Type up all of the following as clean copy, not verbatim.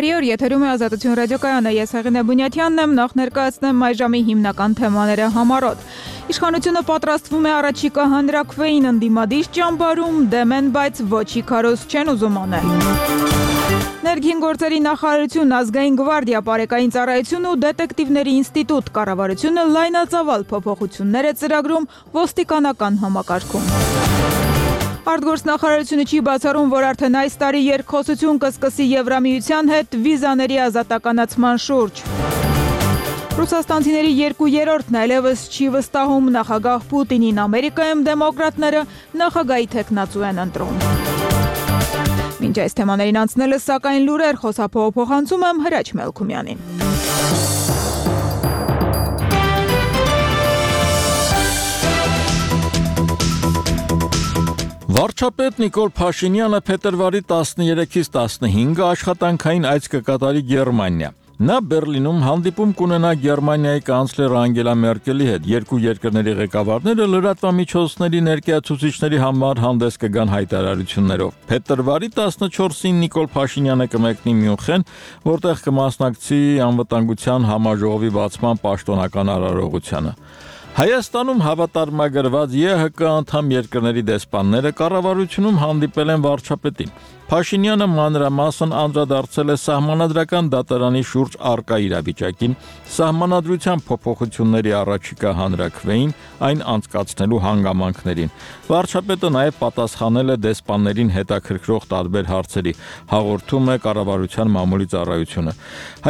Բարի օր, եթերում է Ազատություն ռադիոկայանը, ես Հեղինե Բունյաթյանն եմ, նախ ներկայացնեմ այ ժամի հիմնական թեմաները համառոտ։ Իշխանությունը պատրաստվում է առաջիկա հանրաքվեին ընդդիմադիր ճամբարում, դեմ են, բայց ոչի քարոզ չեն ուզում անել։ Ներքին գործերի նախարարություն, ազգային գվարդիա, պարեկային ծառայություն ու դետեկտիվների ինստիտուտ, կառավարությունը լայնածավալ փոփոխություններ է ծրագրում ոստիկանական համակարգում։ Արտգործնախարարությունը չի բացառում, որ արդեն այս տարի երկխոսություն կսկսի Եվրամիության հետ վիզաների ազատականացման շուրջ։ Ռուսաստանցիների 2/3-ն այլևս չի վստահում նախագահ Պուտինին, Ամերիկայում դեմոկրատները նախագահի թեկնածու են ընտրում։ Մինչ այս թեմաներին անցնելը, սակայն լուրեր, խոսափողը փոխանցում եմ Հրաչ Մելքումյանին։ Վարչապետ Նիկոլ Փաշինյանը փետրվարի 13-ից 15-ը աշխատանքային այց կկատարի Գերմանիա։ Նա Բերլինում հանդիպում կունենա Գերմանիայի կանցլեր Անգելա Մերկելի հետ։ Երկու երկրների ղեկավարները լրատվամիջոցների ներկայացուցիչների համար հանդես կգան հայտարարություններով։ Փետրվարի 14-ին Նիկոլ Փաշինյանը կմեկնի Մյունխեն, որտեղ կմասնակցի անվտանգության համաժողովի բացման պաշտոնական արարողությանը։ Հայաստանում հավատարմագրված ԵՀԿ անդամ երկրների դեսպանները կառավարությունում հանդիպել են վարչապետին։ Փաշինյանը մանրամասն անդրադարձել է սահմանադրական դատարանի շուրջ առկա իրավիճակին, սահմանադրության փոփոխությունների առաջիկա հանրաքվեին, այն անցկացնելու հանգամանքներին։ Վարչապետը նաև պատասխանել է դեսպաններին հետաքրքրող տարբեր հարցերի, հաղորդում է կառավարության մամուլի ծառայությունը։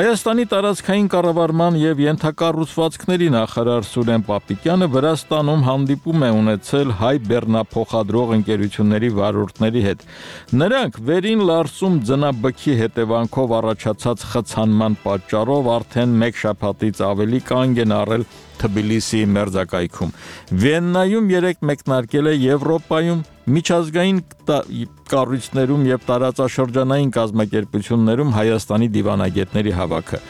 Հայաստանի տարածքային կառավարման եւ ենթակառուցվածքների նախարար Սուրեն Պապիկյանը Վրաստանում հանդիպում է ունեցել հայ բեռնափոխադրող ընկերությունների վարորդների հետ։ Նրանք վերին Լարսում ձնաբքի հետևանքով առաջացած խցանման պատճառով արդեն մեկ շաբաթից ավելի կանգ են առել Թբիլիսիի մերձակայքում։ Վիեննայում երեկ մեկնարկել է Եվրոպայում միջազգային կառույցներում եւ տարածաշրջանային կազմակերպություններում Հայաստանի դիվանագետների հավաքը։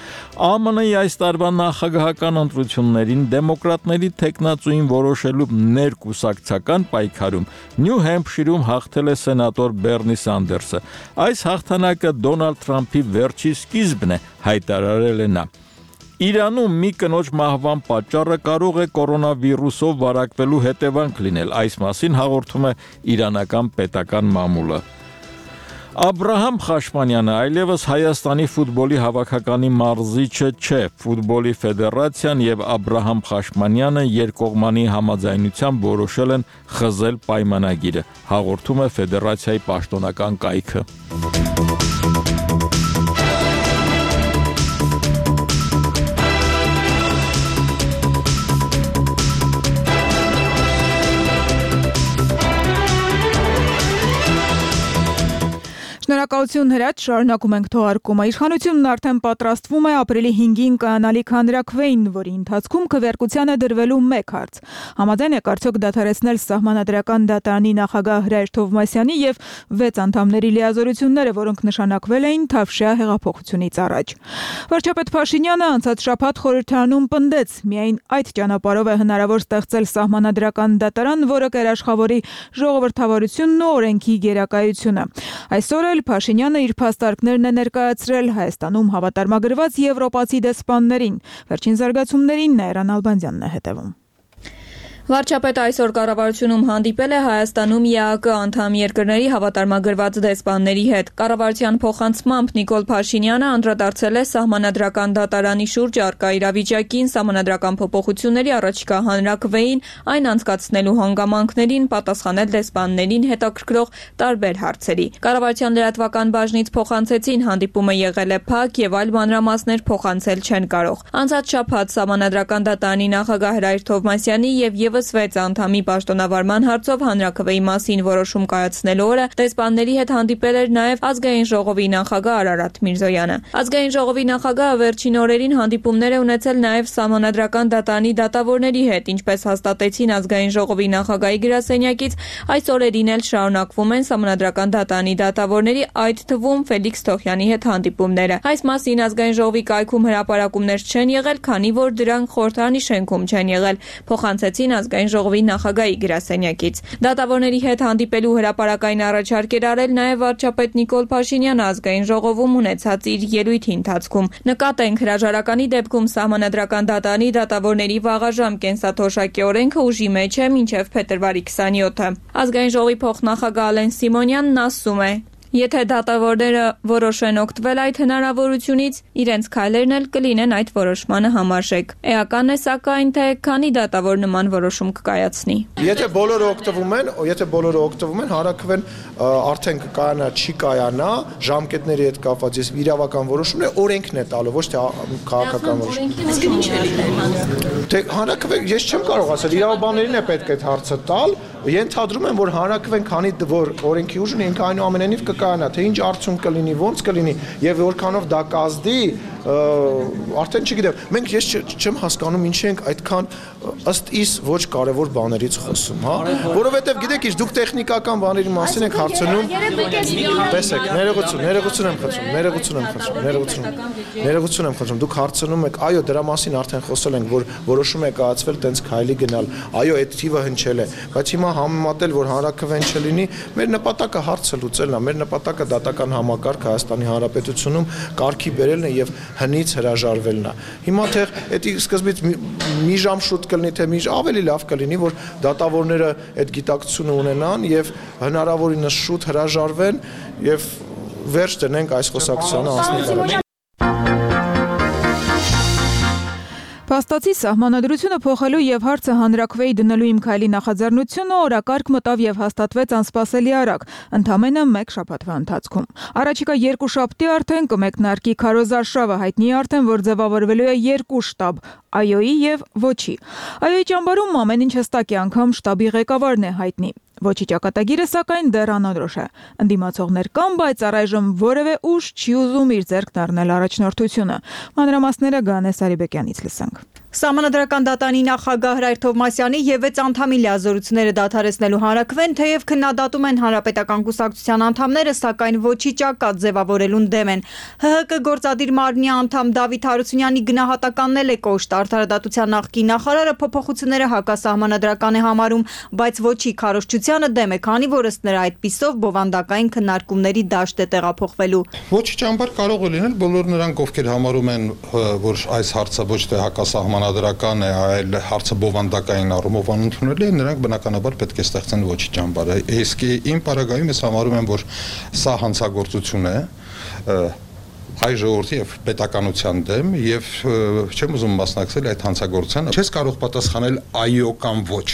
ԱՄՆ-ի այս տարվա նախագահական ընտրություններին դեմոկրատների թեկնածուին որոշելու ներկուսակցական պայքարում Նյու Հեմփշիրում հաղթել է սենատոր Բեռնի Սանդերսը։ Այս հաղթանակը Դոնալդ Թրամփի վերջի սկիզբն է, հայտարարել է նա։ Իրանում մի կնոջ մահվան պատճառը կարող է կորոնավիրուսով վարակվելու հետևանք լինել, այս մասին հաղորդում է իրանական պետական մամուլը։ Աբրահամ Խաշմանյանը այլևս Հայաստանի ֆուտբոլի հավաքականի մարզիչը չէ, ֆուտբոլի ֆեդերացիան եւ Աբրահամ Խաշմանյանը երկկողմանի համաձայնությամբ որոշել են խզել պայմանագիրը, հաղորդում է ֆեդերացիայի պաշտոնական կայքը։ Շնորհակալություն Հրաչ, շարունակում ենք թողարկումը։ Իշխանությունն արդեն պատրաստվում է ապրիլի 5-ին կանալիք հանրաքվեին, որի ընթացքում քվեարկության է դրվելու մեկ հարց։ Համաձայն եք արդյոք դադարեցնել սահմանադրական դատարանի նախագահ Հրայր Թովմասյանի եւ 6 անդամների լիազորությունները, որոնք նշանակվել էին Թավշյա հեղափոխությունից առաջ։ Վարչապետ Փաշինյանը անցած շաբաթ խորհրդարանում պնդեց, միայն այդ ճանապարհով է հնարավոր ստեղծել սահմանադրական դատարան, որը կերաշխավորի ժողովրդավարությունն ու օրենքի գերակայությունը։ Այսօր էլ Փաշինյանը իր փաստարկներն է ներկայացրել Հայաստանում հավատարմագրված եվրոպացի դեսպաններին։ Վերջին զարգացումներին Նայրան Ալբանդյանն է հետևում։ Վարչապետը այսօր կառավարությունում հանդիպել է Հայաստանում ԵԱԿ անդամ երկրների հավատարմագրված դեսպանների հետ։ Կառավարության փոխանցմամբ Նիկոլ Փաշինյանը անդրադարձել է սահմանադրական դատարանի շուրջ առկա իրավիճակին, սահմանադրական փոփոխությունների առաջիկա հանրաքվեին, այն անցկացնելու հանգամանքներին, պատասխանել դեսպաններին հետաքրքրող տարբեր հարցերի։ Կառավարության լրատվական բաժնից փոխանցեցին հանդիպումը եղել է փակ եւ այլ մանրամասներ փոխանցել չեն կարող։ Անցած շաբաթ սահմանադրական դատարանի նախագահ Հրայր Թովմասյանի եւ 6 անդամի պաշտոնավարման հարցով հանրաքվեի մասին որոշում կայացնելու օրը դեսպանների հետ հանդիպել էր նաև Ազգային ժողովի նախագահ Արարատ Միրզոյանը։ Ազգային ժողովի նախագահը վերջին օրերին հանդիպումներ է ունեցել նաև սահմանադրական դատարանի դատավորների հետ, ինչպես հաստատեցին Ազգային ժողովի նախագահի գրասենյակից, այս օրերին էլ շարունակվում են սահմանադրական դատարանի դատավորների, այդ թվում Ֆելիքս Թոխյանի հետ հանդիպումները։ Այս մասին Ազգային ժողովի կայքում հրապարակումներ չեն եղել, քանի որ դրանք խորհրդարանի շենքում չեն եղել, փոխանցեցին ազգային ժողովի նախագահի գրասենյակից։ Դատավորների հետ հանդիպելու հրապարակային առաջարկ էր արել նաև վարչապետ Նիկոլ Փաշինյանը ազգային ժողովում ունեցած իր ելույթի ընթացքում։ Նկատենք, հրաժարականի դեպքում Սահմանադրական դատարանի դատավորների վաղաժամ կենսաթոշակի օրենքը ուժի մեջ է մինչև փետրվարի 27-ը։ Ազգային ժողովի փոխնախագահ Ալեն Սիմոնյանն ասում է. Եթե դատավորները որոշեն օգտվել այդ հնարավորությունից, իրենց քայլերն էլ կլինեն այդ որոշմանը համարժեք։ Էական է սակայն, թե քանի դատավոր նման որոշում կկայացնի։ Եթե բոլորը օգտվում են, հարակվեն արդեն կայանա, չի կայանա, ժամկետների հետ կապված ես իրավական որոշումն է, օրենքն է տալու, ոչ թե քաղաքական որոշում։ Թե հանրակրվեն, ես չեմ կարող ասել, իրավաբաններին է պետք այդ հարցը տալ, ենթադրում եմ, որ հանրակրվեն, քանի որ օրենքի ուժն ինքը այնուամենայնիվ կկայանա, թե ինչ արդյունք կլինի, ոնց կլինի եւ որքանով դա կազդի, արդեն չգիտեմ։ Մենք ես չեմ հասկանում ինչի ենք այդքան ըստ իս ոչ կարևոր բաներից խոսում, հա, որովհետեւ գիտեք ինչ, դուք տեխնիկական բաների մասին եք հարցնում։ Տեսեք, ներողություն եմ խնդրում, դուք հարցնում եք, այո, դրա մասին արդեն խոսել ենք, որ որոշում է կայացվել տենց քայլի գնալ, այո, այդ թիվը հնչել է, բայց հիմա համեմատել, որ հանրակրվեն չլինի, մեր նպատակը հարցը լուծելն է, մեր նպատակը դատական համակարգ Հայաստանի Հանրապետությունում կարգի բերելն է եւ հնից հրաժարվելն է։ Հիմա թե դա սկզբից մի ժամ շուտ կլինի, թե մի ավելի լավ կլինի, որ դատավորները այդ գիտակցությունը ունենան եւ հնարավորինս շուտ հրաժարվեն եւ վերջ դնենք այս խոսակցությանը անցնի։ Փաստացի սահմանադրությունը փոխելու եւ հարցը հանրակրվեի դնելու իմ քայլի նախաձեռնությունը օրակարգ մտավ եւ հաստատվեց անսպասելի արագ, ընդամենը 1 շաբաթվա ընթացքում։ Առաջիկա 2 շաբթի արդեն կմեկնարկի քարոզարշավը, հայտնի է արդեն, որ ձևավորվելու է 2 շտաբ՝ ԱՅՈ-ի եւ ՈՉԻ։ ԱՅՈ-ի ճամբարում ամեն ինչ հստակ է, անգամ շտաբի ղեկավարն է հայտնի։ ՈՉԻ ճակատագիրը սակայն դեռ անորոշ է։ Ընդդիմացողներ կան, բայց առայժմ որևէ ուժ չի ուզում իր ձեռքն առնել առաջնորդությունը։ Մանրամասները Գանե Սարիբեկյանից լսենք։ Սահմանադրական դատարանի նախագահ Հրայր Թովմասյանի եւ 6 անդամի լիազորությունները դադարեցնելու հանրակրվեն, թեև քննադատում են հանրապետական կուսակցության անդամները, սակայն ՈՉԻ ճակատ ձևավորելուն դեմ են։ ՀՀԿ գործադիր մարմնի անդամ Դավիթ Հարությունյանի գնահատականն էլ է կոշտ։ Արդարադատության նախկին նախարարը փոփոխությունները հակասահմանադրական է համարում, բայց ՈՉԻ քարոզչությանը դեմ է, քանի որ ըստ նրա այդպիսով բովանդակային քննարկումների դաշտ է տեղափոխվելու։ ՈЧԻ ճամբար կարող է լինել բոլոր նրանք, ովքեր համարում են, որ այս հարցը ոչ թե հակասահմանադրական է, այլ հարցը բովանդակային առումով անընդունելի է, նրանք բնականաբար պետք է ստեղծեն ՈЧԻ ճամբարը։ Իսկ իմ պարագայում ես համարում եմ, որ սա հանցագործություն է հայ ժողովրդի եւ պետականության դեմ եւ չեմ ուզում մասնակցել այդ հանցագործությանը։ Չես կարող պատասխանել այո կամ ոչ։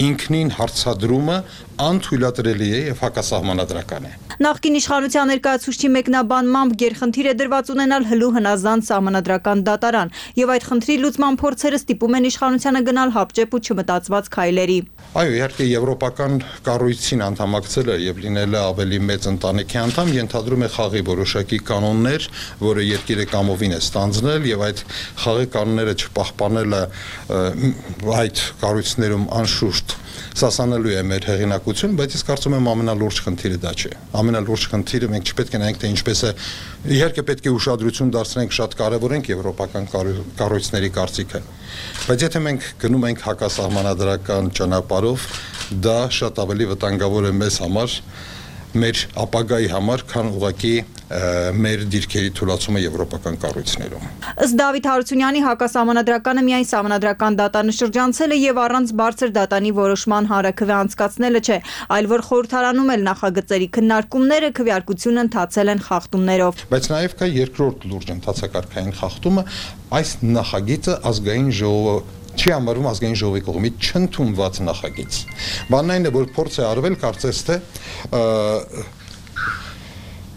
Ինքնին հարցադրումը անթույլատրելի է եւ հակասահմանադրական է։ Նախկին իշխանության ներկայացուցչի մեկնաբանմամբ գերխնդիր է դրված ունենալ հլու հնազանդ սահմանադրական դատարան եւ այդ խնդրի լուծման փորձերը ստիպում են իշխանությանը գնալ հապճեպ ու չմտածված քայլերի։ Այո, իհարկե եվրոպական կառույցին անդամակցելը եւ լինելը ավելի մեծ ընտանիքի անդամ ենթադրում է խաղի որոշակի կանոններ, որը երկիրը կամովին է ստանձնել եւ այդ խաղի կանոնները չպահպանելը այդ կառույցներում անշուշտ սասանելու է մեր հեղինակություն, բայց ես կարծում եմ ամենալուրջ խնդիրը դա չէ։ Ամենալուրջ խնդիրը մենք չպետք է նայենք, թե ինչպես է, իհարկե պետք է ուշադրություն դարձնենք, շատ կարևորենք եվրոպական կառույցների կարծիքը։ Բայց եթե մենք գնում ենք հակասահմանադրական ճանապարհով, դա շատ ավելի վտանգավոր է մեզ համար, մեր ապագայի համար, քան ուղղակի մեր դիրքերի թույլատումը եվրոպական կառույցներում։ Ըստ Դավիթ Հարությունյանի հակասահմանադրականը միայն սահմանադրական դատարանը շրջանցելը եւ առանց բարձր դատանի որոշման հանրակրվե անցկացնելը չէ, այլ որ խորհրդարանում էլ նախագծերի քննարկումները քվեարկություն ընթացել են խախտումներով։ Բայց նաեւ կա երկրորդ լուրջ ընթացակարգային խախտումը, այս նախագիծը ազգային ժողովը չի համարվում ազգային ժողովի կողմից չընդունված նախագիծ։ Բանն այն է, որ փորձ է արվել, կարծես թե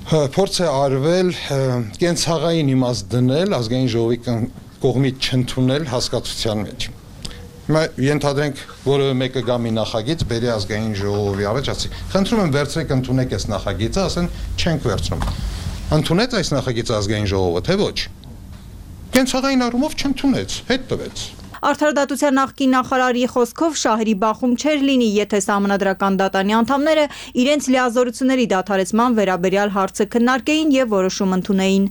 փորձ է արվել կենցաղային իմաստ դնել ազգային ժողովի կողմից չընդունել հասկացության մեջ։ Հիմա ենթադրենք, որևէ մեկը գա մի նախագիծ, բերի ազգային ժողովի առաջ, ասի, խնդրում եմ վերցրեք ընդունեք այս նախագիծը, ասեն չենք վերցնում։ Ընդունեց այս նախագիծը ազգային ժողովը, թե ոչ։ Կենցաղային առումով չընդունեց, հետ տվեց։ Արդարադատության նախկին նախարարի խոսքով շահերի բախում չէր լինի, եթե սահմանադրական դատարանի անդամները իրենց լիազորությունների դադարեցման վերաբերյալ հարցը քննարկեին եւ որոշում ընդունեին։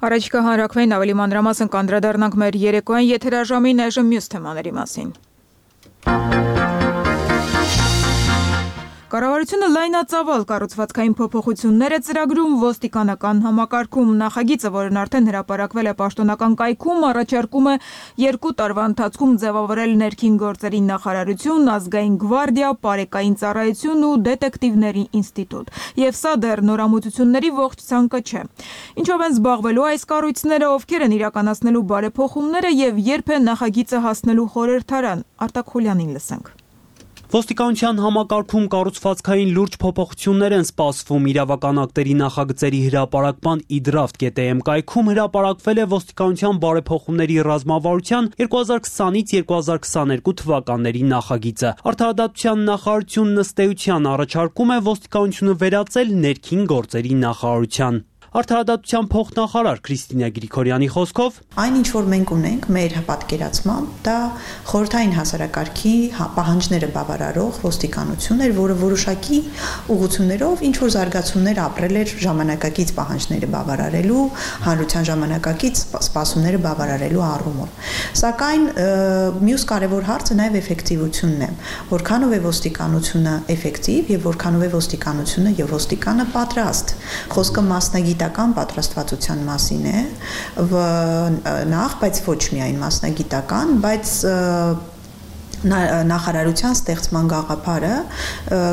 Առաջիկա հանրակրվեին ավելի մանրամասն կանդրադառնանք մեր երեկոյան եթերաժամին, այժմ մյուս թեմաների մասին։ Կառավարությունը լայնածավալ կառուցվածքային փոփոխություններ է ծրագրում ոստիկանական համակարգում։ Նախագիծը, որն արդեն հրապարակվել է պաշտոնական կայքում, առաջարկում է 2 տարվա ընթացքում ձևավորել ներքին գործերի նախարարություն, ազգային գվարդիա, պարեկային ծառայություն ու դետեկտիվների ինստիտուտ։ Եվ սա դեռ նորամուծությունների ողջ ցանկը չէ։ Ինչով են զբաղվելու այս կառույցները, ովքեր են իրականացնելու բարեփոխումները եւ երբ է նախագիծը հասնելու խորհրդարան։ Արտակ Խուլյանին լսենք։ Ոստիկանության համակարգում կառուցվածքային լուրջ փոփոխություններ են սպասվում։ Իրավական ակտերի նախագծերի հրապարակման idraft.am կայքում հրապարակվել է ոստիկանության բարեփոխումների ռազմավարության 2020-ից 2022 թվականների նախագիծը։ Արդարադատության նախարարությունն ըստ էության առաջարկում է ոստիկանությունը վերածել ներքին գործերի նախարարության։ Արդարադատության փոխնախարար Քրիստինա Գրիգորյանի խոսքով այն ինչ որ մենք ունենք մեր պատկերացմամբ, դա խորհրդային հասարակարգի պահանջները բավարարող ոստիկանություն էր, որը որոշակի ուղղություններով ինչ որ զարգացումներ ապրել էր ժամանակակից պահանջները բավարարելու, հանրության ժամանակակից սպասումները բավարարելու առումով։ Սակայն մյուս կարևոր հարցը նաև էֆեկտիվությունն է, որքանով է ոստիկանությունը էֆեկտիվ եւ որքանով է ոստիկանությունը եւ ոստիկանը պատրաստ։ Խոսքը մասնագիտական պատրաստվածության մասին է, բայց ոչ միայն մասնագիտական, բայց նախարարության ստեղծման գաղափարը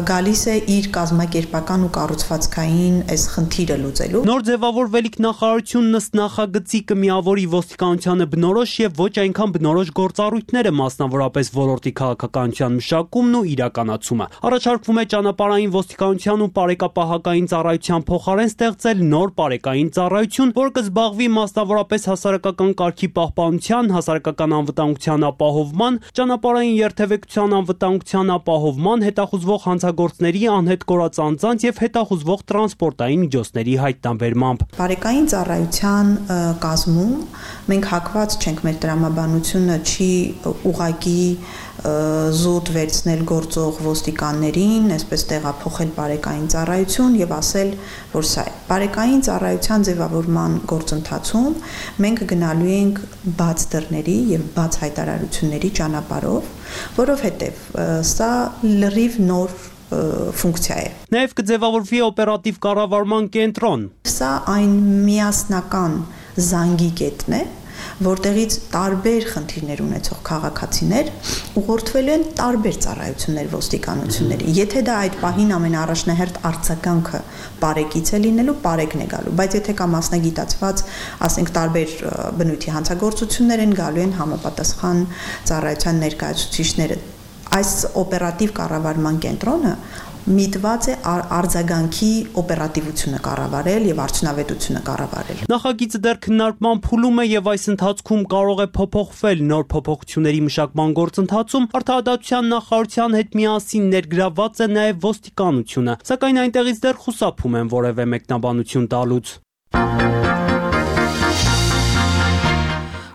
գալիս է իր կազմակերպական ու կառուցվածքային այս խնդիրը լուծելու։ Նոր ձևավորվելիք նախարարությունն ըստ նախագծի կմիավորի ոստիկանությանը բնորոշ եւ ոչ այնքան բնորոշ գործառույթները, մասնավորապես ոլորտի քաղաքականության մշակումն ու իրականացումը։ Առաջարկվում է ճանապարհային ոստիկանության ու պարեկապահական ծառայության փոխարեն ստեղծել նոր պարեկային ծառայություն, որը կզբաղվի մասնավորապես հասարակական կարգի պահպանության, հասարակական անվտանգության ապահովման, ճանապարհային երթևեկության անվտանգության ապահովման, հետախուզվող հանցագործների անհետ կորած անձանց եւ հետախուզվող տրանսպորտային միջոցների հայտնաբերմամբ։ Պարեկային ծառայության կազմում մենք հակված չենք, մեր տրամաբանությունը չի ուղղակի զուտ վերցնել գործող ոստիկաններին, այսպես տեղափոխել պարեկային ծառայություն եւ ասել, որ սա է։ Պարեկային ծառայության ձևավորման գործընթացում մենք գնալու ենք բաց դռների եւ բաց հայտարարությունների ճանապարհով, որովհետեւ սա լրիվ նոր ֆունկցիա է։ Նաև կձևավորվի օպերատիվ կառավարման կենտրոն։ Սա այն միասնական զանգի կետն է, որտեղից տարբեր խնդիրներ ունեցող քաղաքացիներ ուղղորդվելու են տարբեր ծառայություններ ոստիկանությունների։ Եթե դա այդ պահին ամենաառաջնահերթ արձագանքը պարեկից է լինելու, պարեկն է գալու, բայց եթե կա մասնագիտացված, ասենք տարբեր բնույթի հանցագործություններ են գալու են համապատասխան ծառայության ներկայացուցիչները։ Այս օպերատիվ կառավարման կենտրոնը միտված է արձագանքի օպերատիվությունը կառավարել եւ արդյունավետությունը կառավարել։ Նախագիծը դեռ քննարկման փուլում է եւ այս ընթացքում կարող է փոփոխվել։ Նոր փոփոխությունների մշակման գործընթացում արդարադատության նախարարության հետ միասին ներգրավված է նաեւ ոստիկանությունը, սակայն այնտեղից դեռ խուսափում են որևէ մեկնաբանություն տալուց։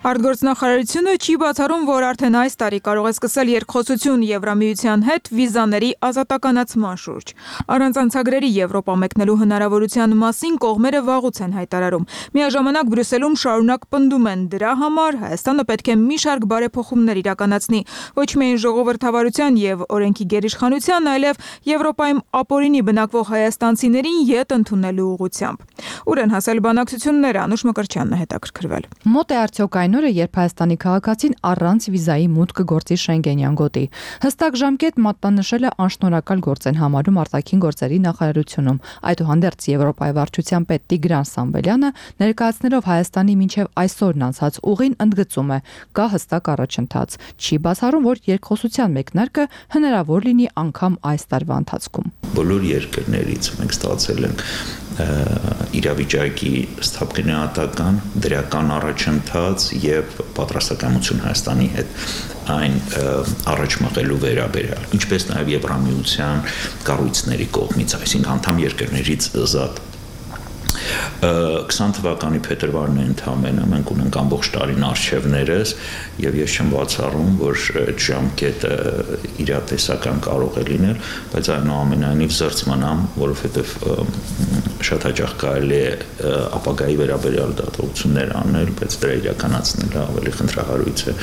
Արտգործնախարարությունը չի բացառում, որ արդեն այս տարի կարող է սկսել երկխոսություն Եվրամիության հետ վիզաների ազատականացման շուրջ։ Առանց անցագրերի Եվրոպա մեկնելու հնարավորության մասին կողմերը վաղուց են հայտարարում։ Միաժամանակ Բրյուսելում շարունակ պնդում են դրա համար Հայաստանը պետք է մի շարք բարեփոխումներ իրականացնի, ոչ միայն ժողովրդավարության եւ օրենքի գերիշխանության, այլև Եվրոպայում ապօրինի բնակվող հայաստանցիներին յետ ընդունելու ուղղությամբ։ Ուր են հասել բանակցությունները, Անուշ Մկրտչյանն է հետաքրքրվել։ Մոտ է արդյոք այն օրը, երբ Հայաստանի քաղաքացին առանց վիզայի մուտք կգործի Շենգենյան գոտի։ Հստակ ժամկետ մատնանշել է անշնորհակալ գործ են համարում արտաքին գործերի նախարարությունում։ Այդուհանդերձ Եվրոպայի վարչության պետ Տիգրան Սամվելյանը ներկայացնելով Հայաստանի մինչև այսօրն անցած ուղին ընդգծում է՝ կա հստակ առաջընթաց։ Չի բացառում, որ երկխոսության մեկնարկը հնարավոր լինի անգամ այս տարվա ընթացքում։ Բոլոր երկրներից մենք ստացել ենք իրավիճակի սթափգնահատական, դրական առաջընթաց եւ պատրաստակամություն Հայաստանի հետ այն առաջ մղելու վերաբերյալ, ինչպես նաեւ Եվրամիության կառույցների կողմից, այսինքն անդամ երկրներից զատ։ 20 թվականի փետրվարն է ընդամենը, մենք ունենք ամբողջ տարին արխիվներս եւ ես չեմ բացառում, որ այդ ժամկետը իրատեսական կարող է լինել, բայց այնուամենայնիվ զրծմանամ, որովհետեւ շատ հաճախ կարելի է ապագայի վերաբերյալ դատողություններ անել, բայց դրա իրականացնելը ավելի խնդրահարույց է։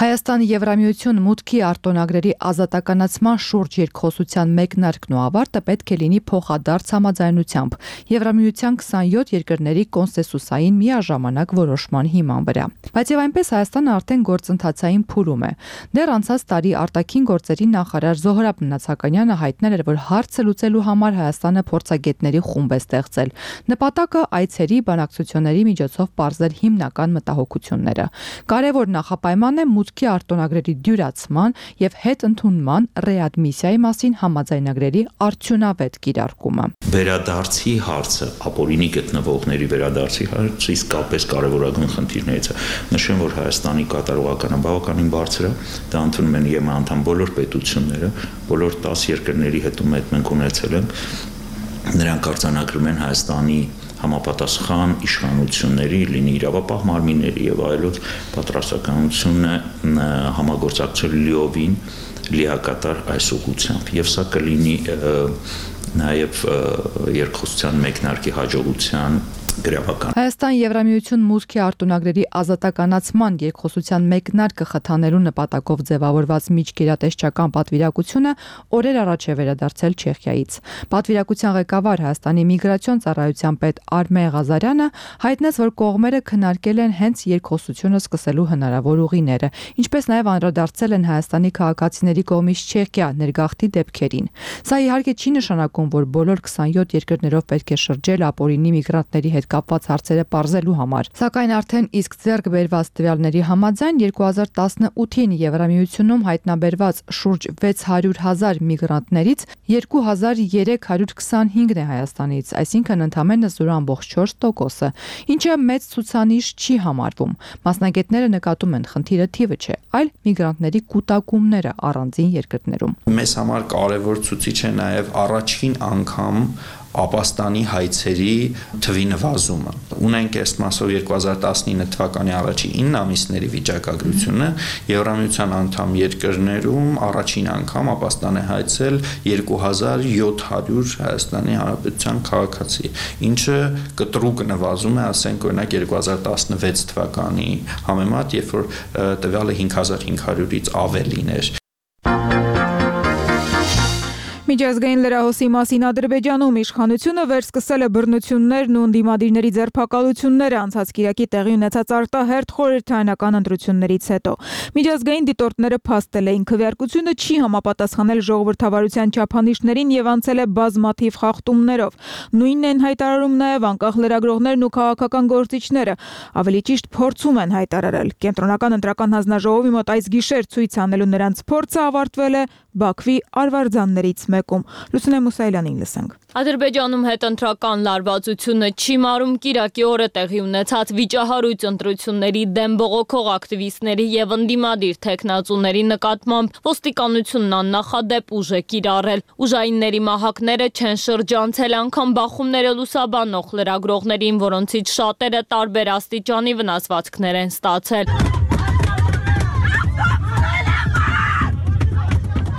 Հայաստանի Եվրամիություն մուտքի արտոնագրերի ազատականացման շուրջ երկխոսության մեկնարկն ու ավարտը պետք է լինի փոխադարձ համաձայնությամբ Եվրամիության 27 երկրների կոնսենսուսային միաժամանակ որոշման հիման վրա։ Բայց եւ այնպես Հայաստանը արդեն գործընթացային փուլում է։ Դեռ անցած տարի արտաքին գործերի նախարար Զոհրաբ Մնացականյանը հայտնել էր, որ հարցը լուծելու համար Հայաստանը փորձագետների խումբ է ստեղծել։ Նպատակը այցերի բանակցությունների միջոցով պարզել հիմնական մտահոգությունները։ Կարևոր նախապայման է մուտքի արտոնագրերի դյուրացման եւ հետընդունման ռեադմիսիայի մասին համաձայնագրերի արդյունավետ կիրարկումը։ Վերադարձի հարցը, ապօրինի գտնվողների վերադարձի հարցը իսկապես կարևորագույն խնդիրներից է։ Նշեմ, որ Հայաստանի կատարողականը բավականին բարձր է, դա ընդունում են ԵՄ անդամ բոլոր պետությունները, բոլոր 10 երկրների հետ մենք ունեցել ենք, նրանք արձանագրում են Հայաստանի համապատասխան իշխանությունների, լինի իրավապահ մարմինների եւ այլոց պատրաստականությունը համագործակցել լիովին լիակատար այս ուղղությամբ եւ սա կլինի նաև երկխոսության մեկնարկի հաջողության գրավական։ Հայաստան Եվրամիություն մուտքի արտոնագրերի ազատականացման երկխոսության մեկնարկը խթանելու նպատակով ձևավորված միջգերատեսչական պատվիրակությունը օրեր առաջ է վերադարձել Չեխիայից։ Պատվիրակության ղեկավար Հայաստանի միգրացիոն ծառայության պետ Արմեն Ղազարյանը հայտնեց, որ կողմերը քննարկել են հենց երկխոսությունը սկսելու հնարավոր ուղիները, ինչպես նաև անդրադարձել են Հայաստանի քաղաքացիների կողմից Չեխիա ներգաղթի դեպքերին։ Սա իհարկե չի նշանակում, որ բոլոր 27 երկրներով պետք է շրջել ապօրինի միգրանտների հետ կապված հարցերը պարզելու համար։ Սակայն արդեն իսկ ձեռք բերված տվյալների համաձայն 2018-ին Եվրամիությունում հայտնաբերված շուրջ 600,000 միգրանտներից 2325-ն է Հայաստանից, այսինքն ընդամենը 0.4%-ը, ինչը մեծ ցուցանիշ չի համարվում։ Մասնագետները նկատում են, խնդիրը թիվը չէ, այլ միգրանտների կուտակումները առանձին երկրներում։ Մեզ համար կարևոր ցուցիչ է նաև առաջին անգամ Ապաստանի հայցերի թվի նվազումը։ Ունենք ըստ մասով 2019 թվականի առաջի 9 ամիսների վիճակագրությունը Եվրամիության անդամ երկրներում առաջին անգամ Ապաստան է հայցել 2700 Հայաստանի Հանրապետության քաղաքացի, ինչը կտրուկ նվազում է, ասենք օրինակ 2016 թվականի համեմատ, երբ որ տվյալը 5500-ից ավելին էր։ Միջազգային լրահոսի մասին Ադրբեջանում իշխանությունը վերսկսել է բռնություններն ու ընդդիմադիրների ձերբակալությունները անցած կիրակի տեղի ունեցած արտահերթ խորհրդարանական ընտրություններից հետո։ Միջազգային դիտորդները փաստել էին, քվեարկությունը չի համապատասխանել ժողովրդավարության չափանիշներին եւ անցել է բազմաթիվ խախտումներով։ Նույնն են հայտարարում նաեւ անկախ լրագրողներն ու քաղաքական գործիչները, ավելի ճիշտ փորձում են հայտարարել։ Կենտրոնական ընտրական հանձնաժողովի մոտ այս գիշեր ցույց անելու նրանց փորձը ավարտվել է Բաքվի արվարձաններից մեկում։ Լուսինե Մուսայելյանին լսենք։ Ադրբեջանում հետընտրական լարվածությունը չի մարում կիրակի օրը տեղի ունեցած վիճահարույց ընտրությունների դեմ բողոքող ակտիվիստների եւ ընդդիմադիր թեկնածուների նկատմամբ ոստիկանությունն աննախադեպ ուժ է կիրառել։ Ուժայինների մահակները չեն շրջանցել անգամ բախումները լուսաբանող լրագրողներին, որոնցից շատերը տարբեր աստիճանի վնասվածքներ են ստացել։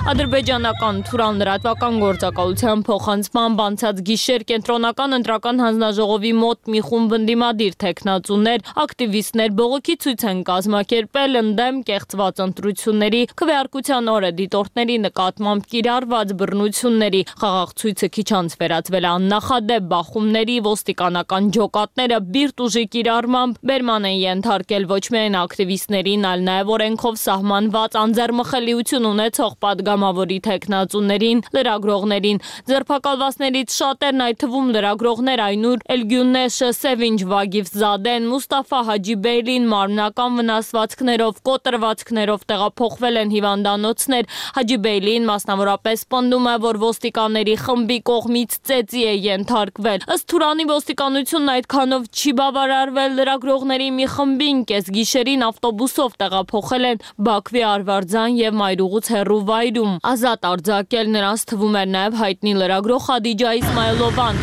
Ադրբեջանական Թուրան լրատվական գործակալության փոխանցմամբ անցած գիշեր կենտրոնական ընտրական հանձնաժողովի մոտ մի խումբ ընդդիմադիր թեկնածուներ, ակտիվիստներ բողոքի ցույց են կազմակերպել ընդդեմ կեղծված ընտրությունների, քվեարկության օրը դիտորդների նկատմամբ կիրառված բռնությունների։ Խաղաղ ցույցը քիչ անց վերածվել է աննախադեպ բախումների, ոստիկանական ջոկատները բիրտ ուժի կիրառմամբ բերման են ենթարկել ոչ միայն ակտիվիստներին, այլ նաև օրենքով սահմանված անձեռմխելիություն ունեցող պատգամավորի թեկնածուներին, լրագրողներին։ Ձերբակալվածներից շատերն, այդ թվում լրագրողներ Այնուր Էլգյունեշը, Սևինջ Վագիֆզադեն, Մուստաֆա Հաջիբեյլին մարմնական վնասվածքներով, կոտրվածքներով տեղափոխվել են հիվանդանոցներ։ Հաջիբեյլին մասնավորապես պնդում է, որ ոստիկանների խմբի կողմից ծեծի է ենթարկվել։ Ըստ Թուրանի ոստիկանությունն այդքանով չի բավարարվել, լրագրողների մի խմբին կեսգիշերին ավտոբուսով տեղափոխել են Բաքվի Արվարձան եւ Մայրուղուց հեռու վայրում։ Ազատ արձակել նրանց թվում էր նաև հայտնի լրագրող Խադիջա Իսմայելովան։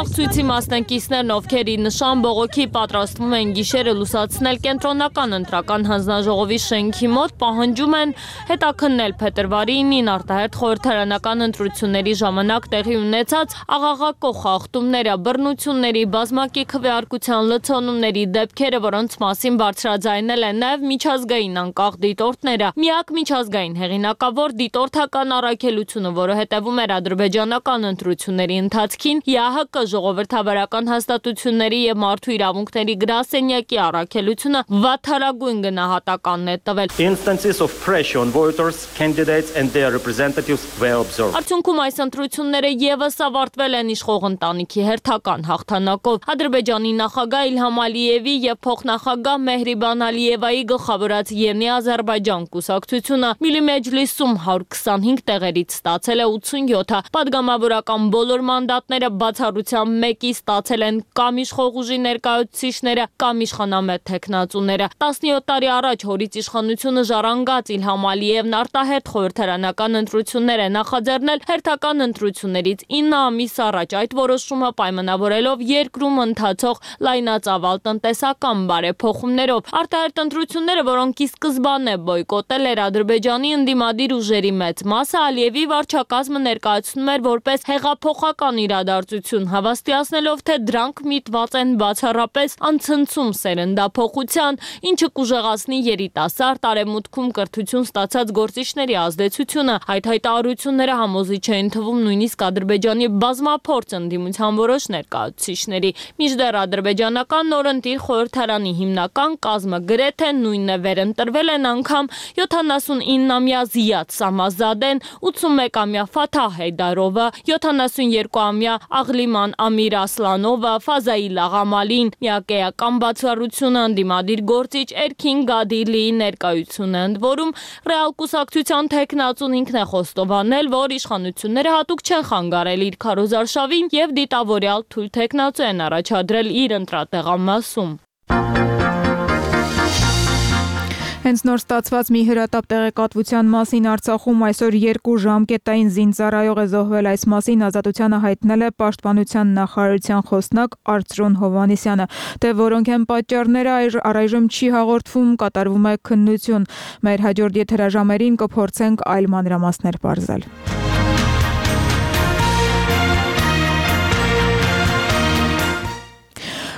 Խաղցույցի մասնակիցներն, ովքեր ի նշան բողոքի պատրաստվում են գիշերը լուսացնել կենտրոնական ընտրական հանձնաժողովի շենքի մոտ, պահանջում են հետաքննել փետրվարի 9-ին արտահերթ խորհրդարանական ընտրությունների ժամանակ տեղի ունեցած աղաղակող խախտումները, բռնությունների, բազմակի քվեարկության լցոնումների դեպքերը, որոնց մասին բարձրաձայնել են նաև միջազգային անկախ դիտորդները։ Միակ միջազգային հեղինակավոր դիտորդական առաքելությունը, որը հետևում էր ադրբեջանական ընտրությունների ընթացքին, ՀՀԿ ժողովրդավարական հաստատությունների եւ մարդու իրավունքների գրասենյակի առաքելությունը վատթարագույն գնահատականն է տվել։ Instances of pressure on voters, candidates and their representatives were observed. Արդյունքում այս ընտրությունները եւս ավարտվել են իշխող ընտանիքի հերթական հաղթանակով։ Ադրբեջանի նախագահ Իլհամ Ալիևի եւ փոխնախագահ Մեհրիբան Ալիևայի գլխավորած Յենի Ադրբեջան կուսակցությունը Միլի Մեջլիսում 125 տեղերից ստացել է 87-ը։ Պատգամավորական բոլոր մանդատները բացառությամբ մեկի ստացել են կամ իշխող ուժի ներկայացուցիչները, կամ իշխանամետ թեկնածուները։ 17 տարի առաջ հորից իշխանությունը ժառանգած Իլհամ Ալիևն արտահերթ խորհրդարանական ընտրություններ է նախաձեռնել հերթական ընտրություններից 9 ամիս առաջ, այդ որոշումը պայմանավորելով երկրում ընթացող լայնածավալ տնտեսական բարեփոխումներով։ Արտահերթ ընտրությունները, որոնք ի սկզբանե բոյկոտել էր Ադրբեջանի ընդդիմադիր ուժերի մեծ մասը, Ալիևի վարչակազմը ներկայացնում էր որպես հեղափոխական իրադարձություն, հավաստիացնելով, թե դրանք միտված են բացառապես անցնցում սերնդափոխության, ինչը կուժեղացնի երիտասարդ արևմուտքում կրթություն ստացած գործիչների ազդեցությունը։ Այդ հայտարարությունները համոզիչ էին թվում նույնիսկ Ադրբեջանի բազմափորձ ընդդիմության որոշ ներկայացուցիչների։ Մինչդեռ ադրբեջանական նորընտիր խորհրդարանի հիմնական կազմը գրեթե նույնն է վերընտրվել են անգամ 79-ամյա Զիադ Սամազադեն, 81-ամյա Ֆաթահ Հեյդարովը, 72-ամյա Աղլիման Ամիր Ասլանովը, Ֆազայիլ Աղամալին, միակեական բացառությունը ընդդիմադիր գործիչ Էրքին Գադիլիի ներկայությունը, ընդ որում ռեալ կուսակցության թեկնածուն ինքն է խոստովանել, որ իշխանությունները հատուկ չեն խանգարել իր քարոզարշավին եւ դիտավորյալ թույլ թեկնածու են առաջադրել իր ընտրատեղամասում։ Հենց նոր ստացված մի հրատապ տեղեկատվության մասին Արցախում այսօր 2 ժամկետային զինծառայող է զոհվել, այս մասին Ազատությանը հայտնել է Պաշտպանության նախարարության խոսնակ Արծրուն Հովհաննիսյանը, թե որոնք են պատճառները առայժմ չի հաղորդվում, կատարվում է քննություն։ Մեր հաջորդ եթերաժամերին կփորձենք այլ մանրամասներ բարձել։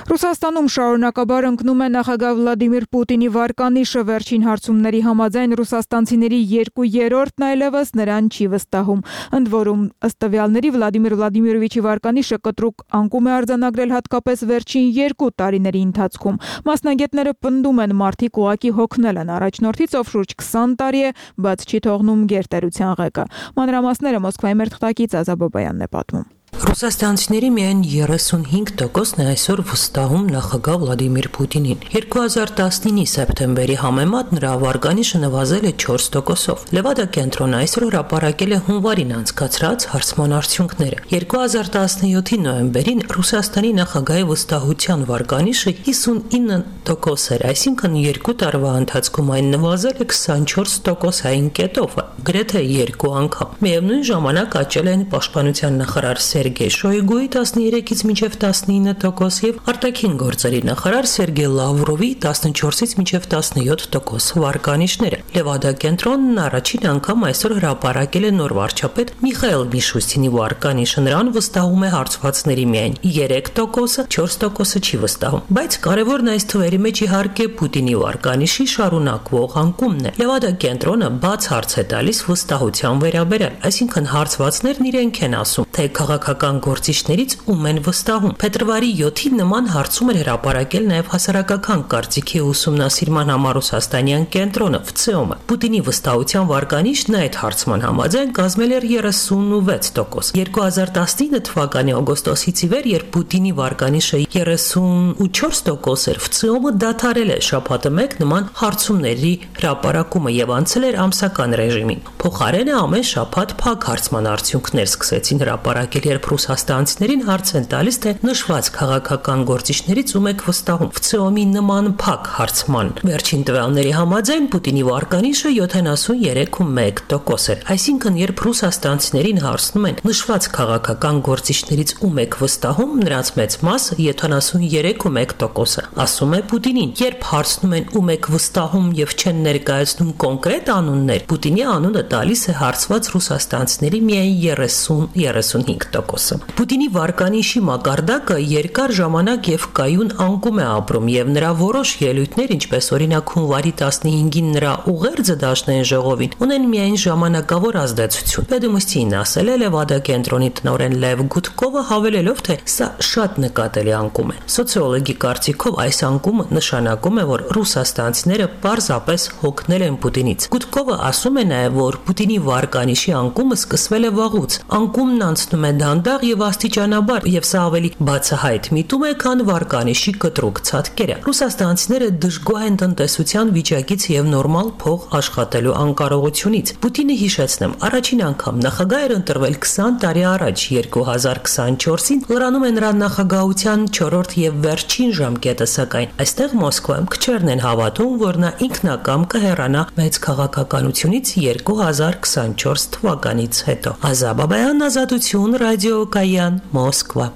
Ռուսաստանում շարունակաբար ընկնում է նախագահ Վլադիմիր Պուտինի վարկանիշը, վերջին հարցումների համաձայն ռուսաստանցիների 2/3-ն այլևս նրան չի վստահում։ Ընդ որում, ըստ տվյալների Վլադիմիր Վլադիմիրովիչի վարկանիշը կտրուկ անկում է արձանագրել հատկապես վերջին 2 տարիների ընթացքում։ Մասնագետները պնդում են, մարդիկ ուղղակի հոգնել են առաջնորդից, ով շուրջ 20 տարի է բաց չի թողնում գերտերության ղեկը։ Մանրամասները Մոսկվայի մեր թղթակից Ազա Բոբայանն է պատմում։ Ռուսաստանցիների միայն 35%-ն է այսօր վստահում նախագահ Վլադիմիր Պուտինին։ 2019-ի սեպտեմբերի համեմատ նրա վարկանիշը նվազել է 4%-ով։ Լևադա կենտրոնը այսօր հրապարակել է հունվարին անցկացրած հարցման արդյունքները։ 2017-ի նոյեմբերին Ռուսաստանի նախագահի վստահության վարկանիշը 59% էր, այսինքն 2 տարվա ընթացքում այն նվազել է 24%-ային կետով, գրեթե 2 անգամ։ Միևնույն ժամանակ աճել են պաշտպանության նախարար Սերգեյ Շոյգուի 13-ից մինչև 19% եւ արտաքին գործերի նախարար Սերգեյ Լավրովի 14-ից մինչև 17% վարկանիշները։ Լևադա կենտրոնն առաջին անգամ այսօր հրապարակել է նոր վարչապետ Միխայել Միշուստինի վարկանիշը, նրան վստահում է հարցվածների միայն 3%-ը, 4%-ը չի վստահում։ Բայց կարևորն այս թվերի մեջ իհարկե Պուտինի վարկանիշի շարունակվող անկումն է։ Լևադա կենտրոնը բաց հարց է տալիս վստահության վերաբերյալ, այսինքն հարցվածներն իրենք են ասում, թե քաղաքական գործիչներից ում են վստահում։ Փետրվարի 7-ին նման հարցում էր հրապարակել նաև հասարակական կարծիքի ուսումնասիրման համառուսաստանյան կենտրոնը ՎՑՕՄ-ը։ Պուտինի վստահության վարկանիշն այդ հարցման համաձայն կազմել էր 36%։ 2019 թվականի օգոստոսից ի վեր, երբ Պուտինի վարկանիշը 34% էր, ՎՑՕՄ-ը դադարել է շաբաթը մեկ նման հարցումների հրապարակումը եւ անցել էր ամսական ռեժիմին։ Փոխարենը ամեն շաբաթ փակ հարցման արդյունքներ սկսեցին հրապարակել, երբ ռուսաստանցիներին հարց են տալիս, թե նշված քաղաքական գործիչներից ում եք վստահում։ ՎՑՕ-ի նման փակ հարցման վերջին տվյալների համաձայն Պուտինի վարկանիշը 73.1% էր։ Այսինքն, երբ ռուսաստանցիներին հարցնում են նշված քաղաքական գործիչներից ում եք վստահում, նրանց մեծ մասը 73.1%-ը ասում է Պուտինին։ Երբ հարցնում են ում եք վստահում եւ չեն ներկայացնում կոնկրետ անուններ, Պուտինի անունը տալիս է հարցված ռուսաստանցիների միայն 30-35%-ը։ Պուտինի վարկանիշի մակարդակը երկար ժամանակ եւ կայուն անկում է ապրում եւ նրա որոշ ելույթներ, ինչպես օրինակ հունվարի 15-ին նրա ուղերձը Դաշնային ժողովին, ունեն միայն ժամանակավոր ազդեցություն։ Պետումստին ասել է Լևադա կենտրոնի տնօրեն Լև Գուտկովը, հավելելով, թե սա շատ նկատելի անկում է։ Սոցիոլոգի կարծիքով այս անկումը նշանակում է, որ ռուսաստանցիները պարզապես հոգնել են Պուտինից։ Գուտկովը ասում է նաև, որ Պուտինի վարկանիշի անկումը սկսվել է վաղուց։ Անկումն անցնում է դանդաղ եւ աստիճանաբար, եւ սա ավելի բացահայտ միտում է, քան վարկանիշի կտրուկ ցածկերը։ Ռուսաստանցիները դժգոհ են տնտեսության վիճակից եւ նորմալ փող աշխատելու անկարողությունից։ Պուտինը, հիշեցնեմ, առաջին անգամ նախագահ էր ընտրվել 20 տարի առաջ, 2024-ին լրանում է նրա նախագահության 4-րդ եւ վերջին ժամկետը, սակայն այստեղ Մոսկվայում քչերն են հավատում, որ նա ինքնակամ կհեռանա մեծ քաղաքականությունից 2024 թվականից հետո։ Ազաբաբայան, Ազատություն, Ռադիո Կայան, Մոսկվա։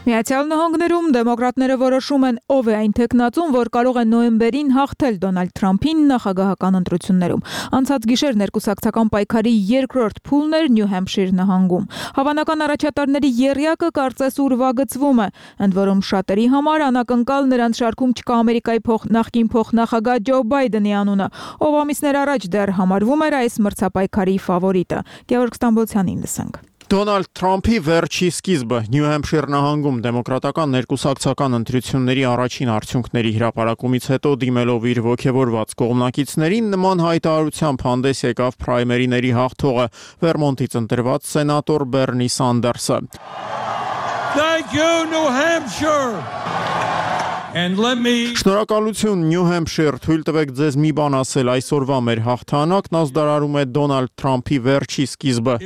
Միացյալ Նահանգներում դեմոկրատները որոշում են ով է այն տեխնացուն, որ կարող է նոյեմբերին հաղթել Դոնալդ Թրամփին նախագահական ընտրություններում։ Անցած գիշեր ներկուսակցական պայքարի երկրորդ փուլն էր Նյու Հեմփշիր նահանգում։ Հավանական առաջատարների եռյակը կարծես ուրվագծվում է, ընդ որում շատերի համար անակնկալ նրանց շարքում չկա Ամերիկայի նախկին փոխնախագահ Ջո Բայդենի անունը, ով ամիսներ առաջ դեռ համարվում էր այս մրցապայքարի ֆավորիտը։ Գևորգ Ստամբոլցյանին լսենք։ Դոնալդ Թրամփի վերջի սկիզբը Նյու Հեմփշիր նահանգում դեմոկրատական ներկուսակցական ընտրությունների առաջին արդյունքների հրապարակումից հետո դիմելով իր ոգևորված կողմնակիցներին նման հայտարարությամբ հանդես եկավ պրայմերիների հաղթողը Վերմոնտից ընտրված սենատոր Բերնի Սանդերսը։ Thank you, New Hampshire. Շնորհակալություն Նյու Հեմփշիր, թույլ տվեք ձեզ մի բան ասել, այսօրվա մեր հաղթանակն ազդարարում է Դոնալդ Թրամփի վերջի սկիզբը։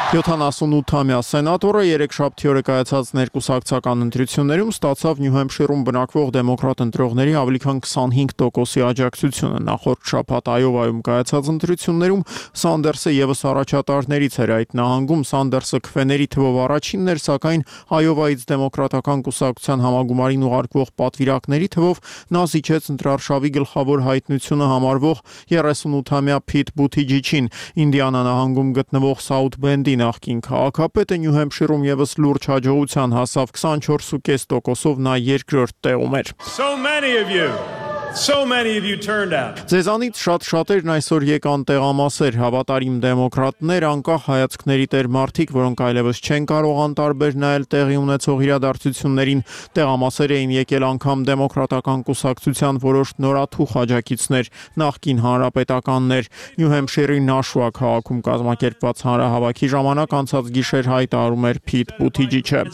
78-ամյա սենատորը երեքշաբթի օրը կայացած ներկուսակցական ընտրություններում ստացավ Նյու Հեմփշիրում բնակվող դեմոկրատ ընտրողների ավելի քան 25%-ի աջակցությունը։ Նախորդ շաբաթ Այովայում կայացած ընտրություններում Սանդերսը եւս առաջատարներից էր այդ նահանգում։ Սանդերսը քվեների թվով առաջինն էր, սակայն Այովայից դեմոկրատական կուսակցության համագումարին ուղարկվող պատվիրակների թվով նա զիջեց ընտրարշավի գլխավոր հայտնությունը համարվող 38-ամյա Փիթ Բութիջիչին։ Ինդիանա նահանգում գտնվող Սաութ Բենդի նախկին քաղաքապետը Նյու Հեմփշիրում եւս լուրջ հաջողության հասավ 24.5%-ով նա երկրորդ տեղում էր։ So many of you turned out. Ձեզանից շատերն այսօր եկան տեղամասեր, հավատարիմ դեմոկրատներ, անկախ հայացքների տեր մարդիկ, որոնք այլևս չեն կարող անտարբեր նայել տեղի ունեցող իրադարձություններին, տեղամասեր էին եկել անգամ դեմոկրատական կուսակցության որոշ նորաթուխ աջակիցներ, նախկին հանրապետականներ։ Նյու Հեմփշիրի Նաշուա քաղաքում կազմակերպված հանրահավաքի ժամանակ անցած գիշեր հայտարարում էր Փիթ Բութիջիչը։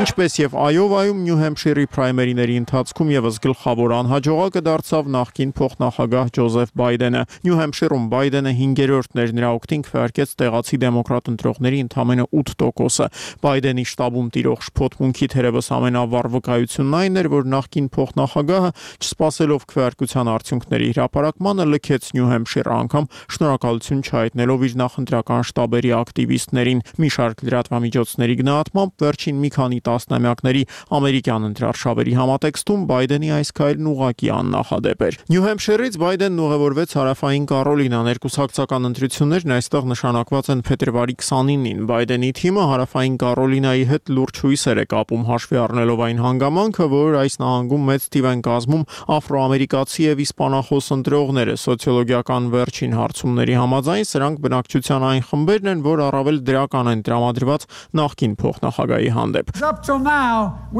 Ինչպես եւ Այովայում Նյու Հեմփշիրի պրայմերիների ընթացքում եւս գլխավոր անհաջողակը դարձավ նախկին փոխնախագահ Ջոզեֆ Բայդենը։ Նյու Հեմփշիրում Բայդենը 5-րդն էր, նրա օգտին քվեարկեց տեղացի դեմոկրատ ընտրողների ընդամենը 8%-ը։ Բայդենի շտաբում տիրող շփոթմունքի թերևս ամենավառ վկայությունն այն էր, որ նախկին փոխնախագահը, չսպասելով քվեարկության արդյունքների հրապարակմանը, լքեց Նյու Հեմփշիրը, անգամ շնորհակալություն չհայտնելով իր նախընտրական շտաբերի ակտիվիստներին։ Մի շարք լրատվամիջոցների գնահատմամբ վերջին մի քանի տասնամյակների ամերիկյան ընտրարշավերի համատեքստում Բայդենի այս քայլն ուղղակի աննախադեպ էր։ Նյու Հեմփշիրից Բայդենն ուղևորվեց հարավային Կարոլինա։ Ներկուսակցական ընտրություններն այստեղ նշանակված են փետրվարի 29-ին։ Բայդենի թիմը հարավային Կարոլինայի հետ լուրջ հույսեր է կապում, հաշվի առնելով այն հանգամանքը, որ այս նահանգում մեծ թիվ են կազմում աֆրոամերիկացի եւ իսպանախոս ընտրողները։ Սոցիոլոգիական վերջին հարցումների համաձայն սրանք բնակչության այն խմբերն են, որ առավել դրական են տրամադրված նախկին փոխնախագահի հանդեպ։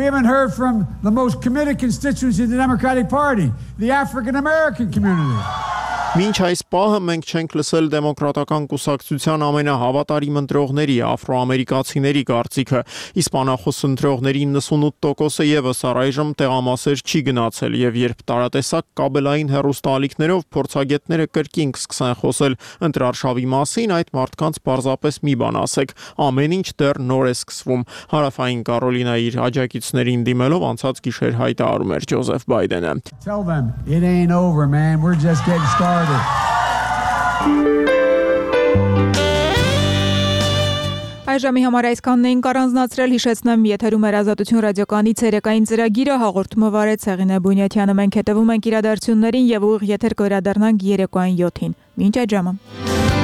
We haven't heard from the most committed constituency of the Democratic Party, the African American community. Մինչ այս պահը մենք չենք լսել դեմոկրատական կուսակցության ամենահավատարիմ ընտրողների աֆրոամերիկացիների կարծիքը։ Իսպանախոս ընտրողների 98%-ը եւս առայժմ տեղամասեր չի գնացել եւ երբ տարատեսակ կաբելային հեռուստաալիքներով փորձագետները կրկին կսկսեն խոսել ընտրարշավի մասին, այդ մարդկանց պարզապես մի բան ասեք. ամեն ինչ դեռ նոր է սկսվում։ Հարավային Կարոլինայի իր աջակիցներին դիմելով անցած գիշեր հայտարարում էր Ջոզեֆ Բայդենը. Tell them it ain't over, man. We're just getting started. Այժմի համար այսքանն էինք առանձնացրել, հիշեցնեմ, եթերում էր Ազատություն ռադիոկայանի ցերեկային ծրագիրը, հաղորդումը վարեց Հեղինե Բունյաթյանը, մենք հետևում ենք իրադարձություններին եւ ուղիղ եթեր կվերադառնանք երեկոյան 7-ին։ Մինչ այդ ժամը։